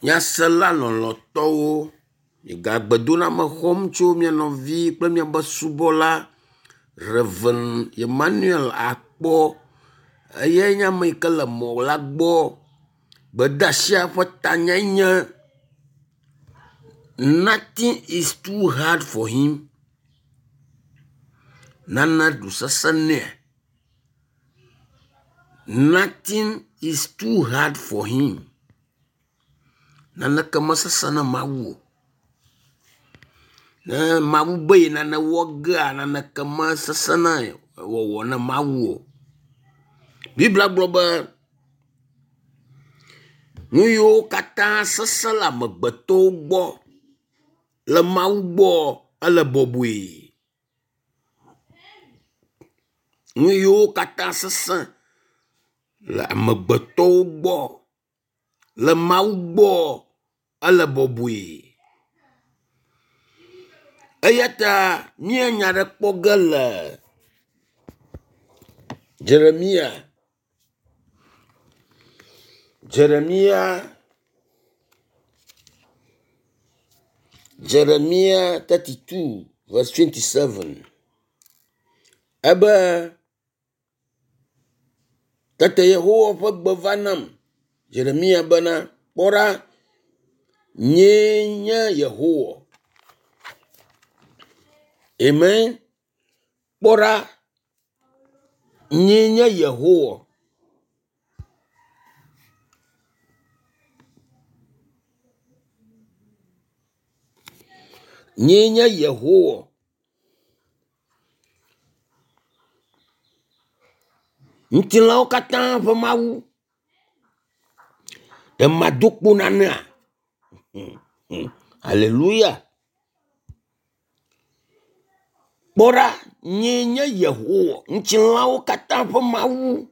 Nyasela lɔlɔ̃tɔwo, gagbedoname xɔm tso mia nɔvi kple miaƒe subɔla Rev. Emmanuel Akpɔ. Eyae nye ame yi ke le mɔ la gbɔ. Gbedeasia ƒe tanyae nye nothing is too hard for him. Nane ɖo sese nɛa? Nothing is too hard for him. Naneke mesesẽ na Mawu o. Ne Mawu be yi nane wɔ gea, naneke mesesẽ na wɔwɔ na Mawu o. Biblia gblɔ be nu yiwo katã sesẽ le amegbetɔwo gbɔ le Mawu gbɔ ele bɔbɔe. Nu yiwo katã sesẽ le amegbetɔwo gbɔ le Mawu gbɔ ele bɔbɔe. Eya ta míenya ɖe kpɔ ge le Jeremia Jeremia Jeremia 32 verse 27. Ebe tete Yehowa ƒe gbe va nam Yeremia bena, kpɔ ɖa, nyee nye Yehowa. Amen. Kpɔ ɖa, nyee nye Yehowa. Nyee nye Yehowa. Ŋutilãwo katã ƒe Mawu. Ɖe mado kpo nanea? Haleluya. Kpɔ ɖa, nyee nye Yehowa, ŋutilãwo katã ƒe Mawu.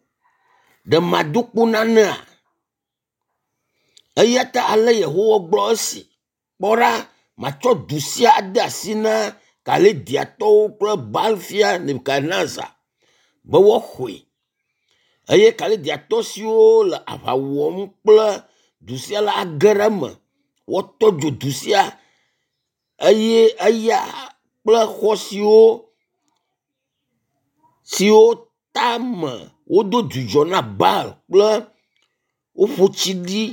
Ɖe mado kpo nanea? Eya ta ale Yehowa gblɔ esi, kpɔ ɖa, matsɔ du sia ade asi na Kaldeatɔwo kple Baal-fia Nebukadnezar be woaxɔe. Eye Kaldeatɔ siwo le aʋa wɔm kple du sia la age ɖe eme. Woatɔ dzo du sia eye eya kple xɔ siwo siwo tame wodo dzudzɔ na Baal kple woƒo tsi ɖi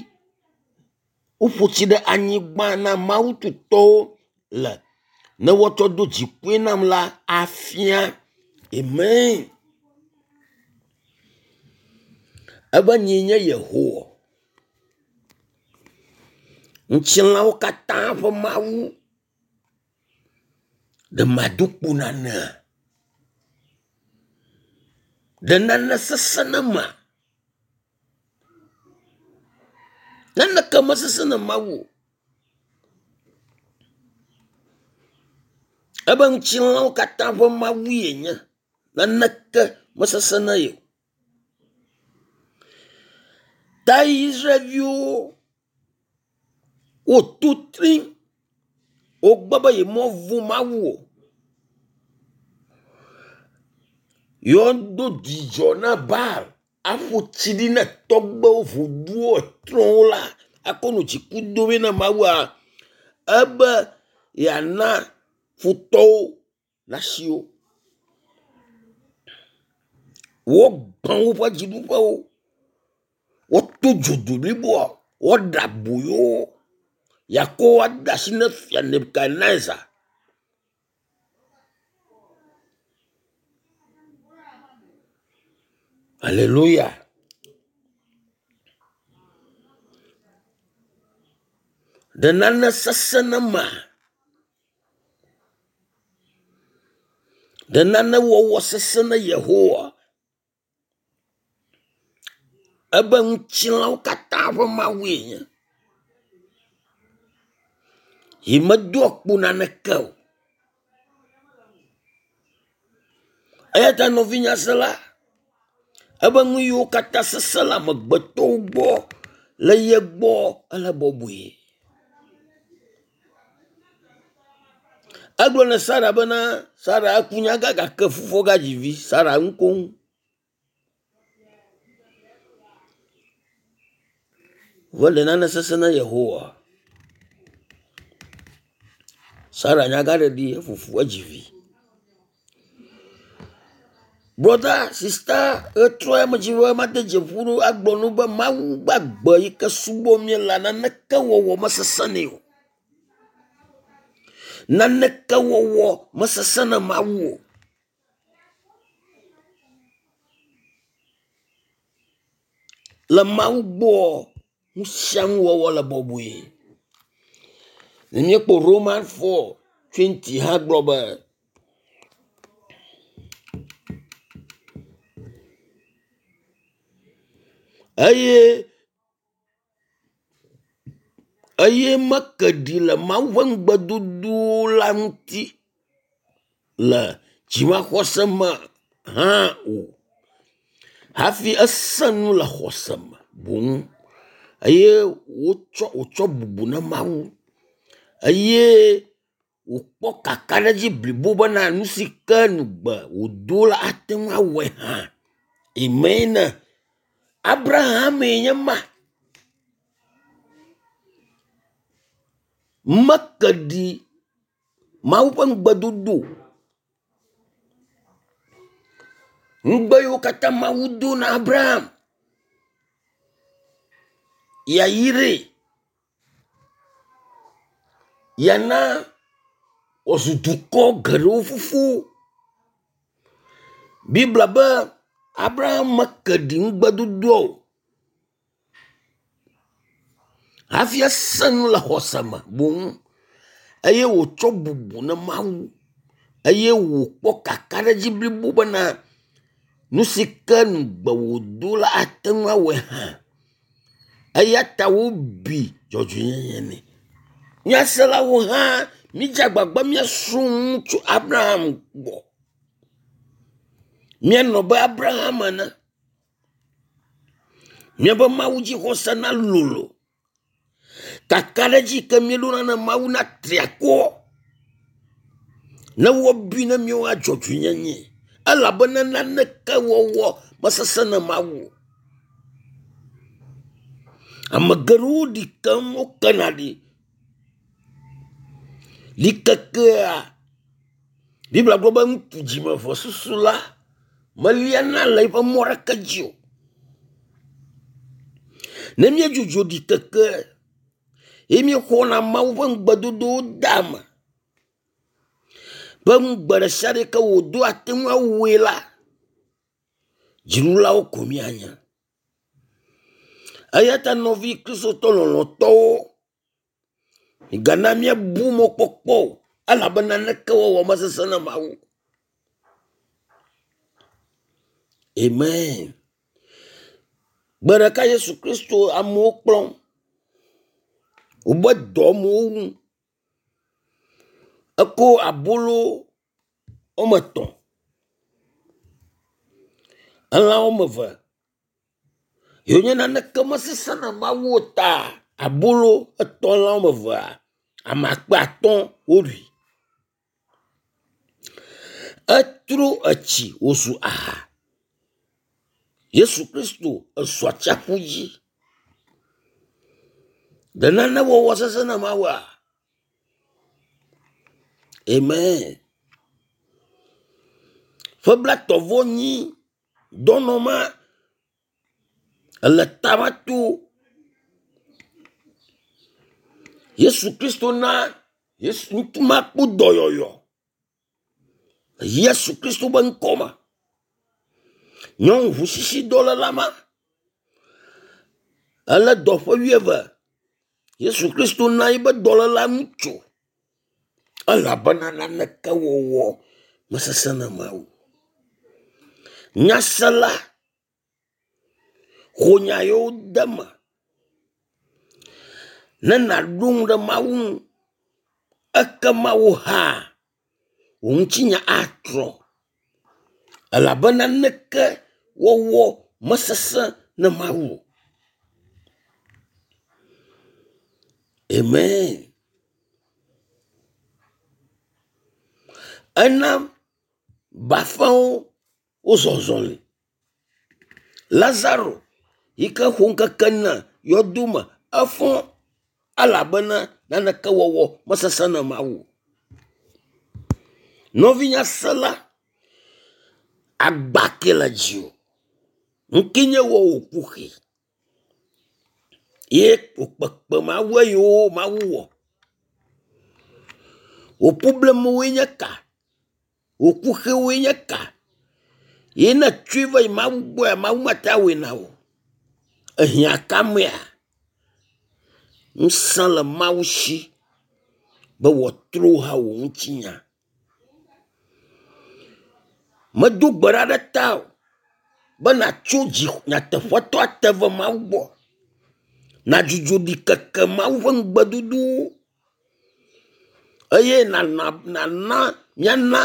woƒo tsi ɖe anyigba na mawu tutɔwo le ne woatsɔ do dzikue nam la afia. Amen. Ebe nyee nye Yehowa. Ŋutilãwo katã ƒe Mawu. Ɖe mado kpo nanea? Ɖe nane sesẽ na ma? Naneke mesesẽ na Mawu o. Ebe ŋutilãwo katã ƒe Mawu yenye. Naneke mesesẽ na ye o. Ta Israelviwo woto tri wogbe be yemevɔ̃ Mawu o. Yewoado dzidzɔ na Baal aƒo tsi ɖi na tɔgbewo, voduwo, etrɔ̃wo la akɔ nɔ dziku dom na Mawua ebe yeana futɔwo nasi wo. Wogbã woƒe dziɖuƒewo, woto dzo du bliboa, woɖe aboyo wo, yeakɔ wo ade asi na fia Nebukadnezar. Aleluya. Ɖe nane sesẽ na mea? Ɖe nane wɔwɔ sesẽ na Yehowa? Ebe ŋutilãwo katã ƒe Mawue nye. Yi medoa kpo naneke o. Eya ta nɔvinyasela, ebe nu yiwo katã sesẽ le amegbetɔwo gbɔ le ye gbɔ ele bɔbɔe. Egblɔ na Sara bena Sara eku nyagã gake fofoa gadzi vi. Sara nu koŋ. Vɔ ɖe nane sesẽ na Yehowa. Sara nyagãɖeɖi eƒoƒu edzi vi. Brɔda, sista, ɣetrɔ ya medzi be made dzi ƒo na wo agblɔ na wo be Mawu gbagbe yi ke subɔm míele naneke wɔwɔ mesesẽ nɛ o. Naneke wɔwɔ mesesẽ na Mawu o. Le Mawu gbɔa, nu sia nu wɔwɔ le bɔbɔe. Ne míekpɔ Roman 4:20 hã gblɔ be eye eye meke ɖi le Mawu ƒe ŋugbedodo la ŋuti le dzimaxɔse me hã o. Hafi esẽ nu le xɔse me boŋ eye wotsɔ wòtsɔ bubu na Mawu eye wòkpɔ kakaɖedzi blibo bena nu si ke ŋugbe wòdo la ate ŋu awɔe hã. Amen. Abrahamee nye ma. Meke ɖi Mawu ƒe ŋugbedodo o. Ŋugbe yiwo katã Mawu do na Abraham yeayrae, yeana wòazu dukɔ geɖewo fofo. Biblia be Abraham meke ɖi ŋugbedodoa o hafi esẽ nu le xɔse me boŋ eye wòtsɔ bubu na Mawu eye wòkpɔ kakaɖedzi blibo bena nu si ke ŋugbe wòdo la ate ŋu awɔe hã. Eya ta wobui dzɔdzɔenyenye nɛ. Nyaselawo hã mídze agbagba míasrɔ̃ nu tso Abraham gbɔ. Míanɔ be Abraham ene. Míaƒe Mawu dzixɔse nalolo. Kakaɖedzi ke míeɖona na Mawu natri akɔ ne woabui na míawo dzɔdzɔenyenye elabena naneke wɔwɔ mesesẽ na Mawu o. Ame geɖewo ɖi keŋ wokena ɖi. Ɖikekea Biblia gblɔ be ŋutsu dzimevesusu la meliana le eƒe mɔ ɖeke dzi o. Ne míedzudzɔ ɖikeke ye míexɔna Mawu ƒe ŋugbedodowo de eme be ŋugbe ɖe sia ɖe ke wòdo ate ŋu awɔe la, dziɖulawo ko míanye. Eya ta nɔvi Kristotɔ lɔlɔ̃tɔwo, migana míabu mɔkpɔkpɔ o elabena naneke wɔwɔ mesesẽ na Mawu. Amen. Gbe ɖeka Yesu Kristo amewo kplɔm. Wobe dɔ amewo wum. Eko abolo woame etɔ̃, elã woame eve yiwo nye naneke mesesẽ na Mawu o ta abolo etɔ̃ elã woame evea, ame akpe atɔ̃ woɖui. Etro etsi wòzu aha. Yesu Kristo ezɔ atsiaƒu dzi. Ɖe nane wɔwɔ sesẽ na Mawua? Amen. Ƒe blaetɔ̃ vɔ enyi dɔnɔ ma ele tama to. Yesu Kristo na Yesu ŋutsu ma kpɔ dɔyɔyɔ. Yesu Kristo be ŋkɔ me. Nyɔnu ʋusisidɔléla ma elé dɔ ƒe wuieve. Yesu Kristo na eƒe dɔléla nu tso elabena naneke wɔwɔ mesesẽ na Mawu. Nyasela xɔ nya yewo de eme ne nàɖo ŋu ɖe Mawu ŋu ekema wò hã wò ŋutinya atrɔ elabena naneke wɔwɔ mesesẽ na Mawu o. Amen. Ena bafawo wozɔ zɔli. Lazaro yi ke xɔ ŋkeke ene yɔdo me Efɔ elabena naneke wɔwɔ mesesẽ na Mawu o. Nɔvinya sela, agba ke le dziwò. Ŋke nye wɔ wò kuxi ye wò Mawu yiwo Mawu wɔ. Wò problemwoe nye ka? Wò kuxiwoe nye ka? Ye ne ètsɔe va yi Mawu gbɔa, Mawu mate awɔe na wò. Ehiã ka mea? Ŋusẽ le Mawu si be wòatrɔ hã wò ŋutinya. Medo gbe ɖa ɖe tawò be nàtso dzi nyateƒetɔ ate va Mawu gbɔ. Nàdzudzɔ ɖikeke Mawu ƒe ŋugbedodowo eye nàna nàna míana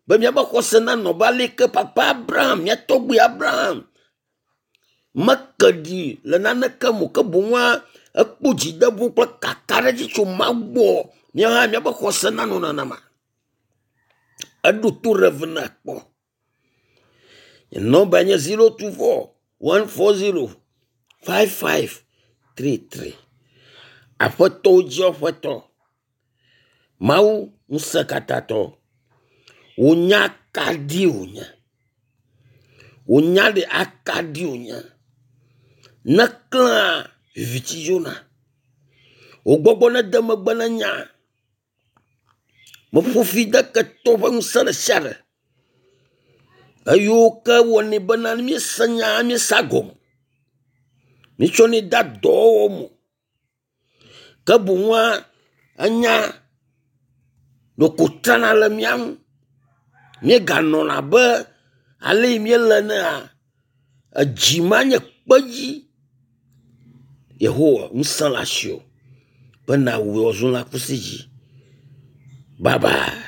be míaƒe xɔse nanɔ abe ale yi ke papa Abraham, mía tɔgbui Abraham meke ɖi le naneke me o ke boŋua ekpɔ dzideƒo kple kakaɖedzi tso Mawu gbɔ. Míawo hã míaƒe xɔse nanɔ nenema. Eɖo to Rev. Kpɔ. Nye nɔmba nye 024 140 5533. Aƒetɔwo dzi Aƒetɔ. Mawu ŋusẽkatãtɔ. Wò nya akaɖi wònye. Wò nya ɖe akaɖi wònye. Neklẽa viviti dzona. Wò gbɔgbɔ nede megbe ne nya. Meƒo fi de ketɔ ƒe ŋusẽ ɖe sia ɖe. Eyiwo ke wɔnɛ bena ne míese nya míesea gɔme. Míetsɔnɛ dea dɔwɔwɔ me. Ke boŋua enya ɖeko trana le mía ŋu. Míeganɔna abe ale yi míele enea, edzi ma nye kpedzi. Yehowa ŋusẽ le asiwò be nàwɔe wòazu lãkusi dzi. Bye bye.